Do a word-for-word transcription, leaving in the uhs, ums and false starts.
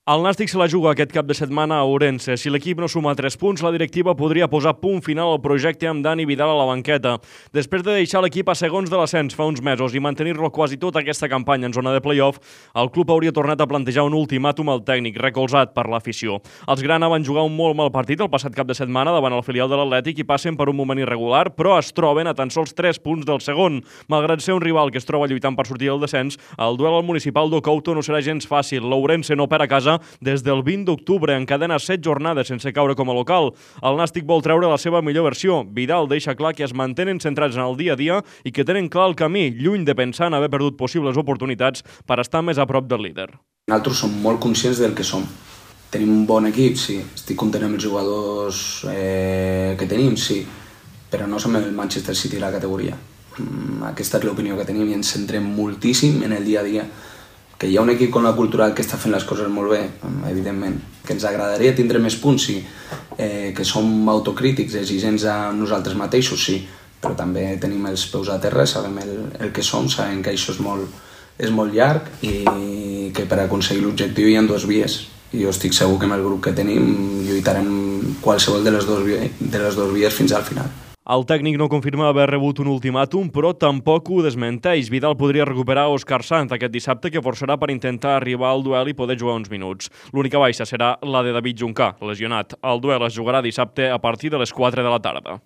El Nàstic se la juga aquest cap de setmana a Ourense. Si l'equip no suma tres punts, la directiva podria posar punt final al projecte amb Dani Vidal a la banqueta. Després de deixar l'equip a segons de l'ascens fa uns mesos i mantenir-lo quasi tota aquesta campanya en zona de play-off, el club hauria tornat a plantejar un ultimàtum al tècnic, recolzat per l'afició. Els grana van jugar un molt mal partit el passat cap de setmana davant el filial de l'Atlètic i passen per un moment irregular, però es troben a tan sols tres punts del segon. Malgrat ser un rival que es troba lluitant per sortir del descens, el duel al municipal d'Ocouto no serà gens fàcil. L'Ourense no perd a casa des del vint d'octubre, encadena set jornades sense caure com a local. El Nàstic vol treure la seva millor versió. Vidal deixa clar que es mantenen centrats en el dia a dia i que tenen clar el camí, lluny de pensar en haver perdut possibles oportunitats per estar més a prop del líder. Nosaltres som molt conscients del que som. Tenim un bon equip, sí. Estic content amb els jugadors eh, que tenim, sí. Però no som el Manchester City de la categoria. Aquesta és l'opinió que tenim i ens centrem moltíssim en el dia a dia. Que hi ha un equip com la Cultural que està fent les coses molt bé, evidentment. Que ens agradaria tindre més punts, sí. Eh, que som autocrítics, exigents a nosaltres mateixos, sí. Però també tenim els peus a terra, sabem el, el que som, sabem que això és molt, és molt llarg i que per aconseguir l'objectiu hi ha dues vies. I jo estic segur que amb el grup que tenim lluitarem qualsevol de les dues vies, de les dues vies fins al final. El tècnic no confirma haver rebut un ultimàtum, però tampoc ho desmenteix. Vidal podria recuperar Òscar Sanz aquest dissabte, que forçarà per intentar arribar al duel i poder jugar uns minuts. L'única baixa serà la de David Juncà, lesionat. El duel es jugarà dissabte a partir de les quatre de la tarda.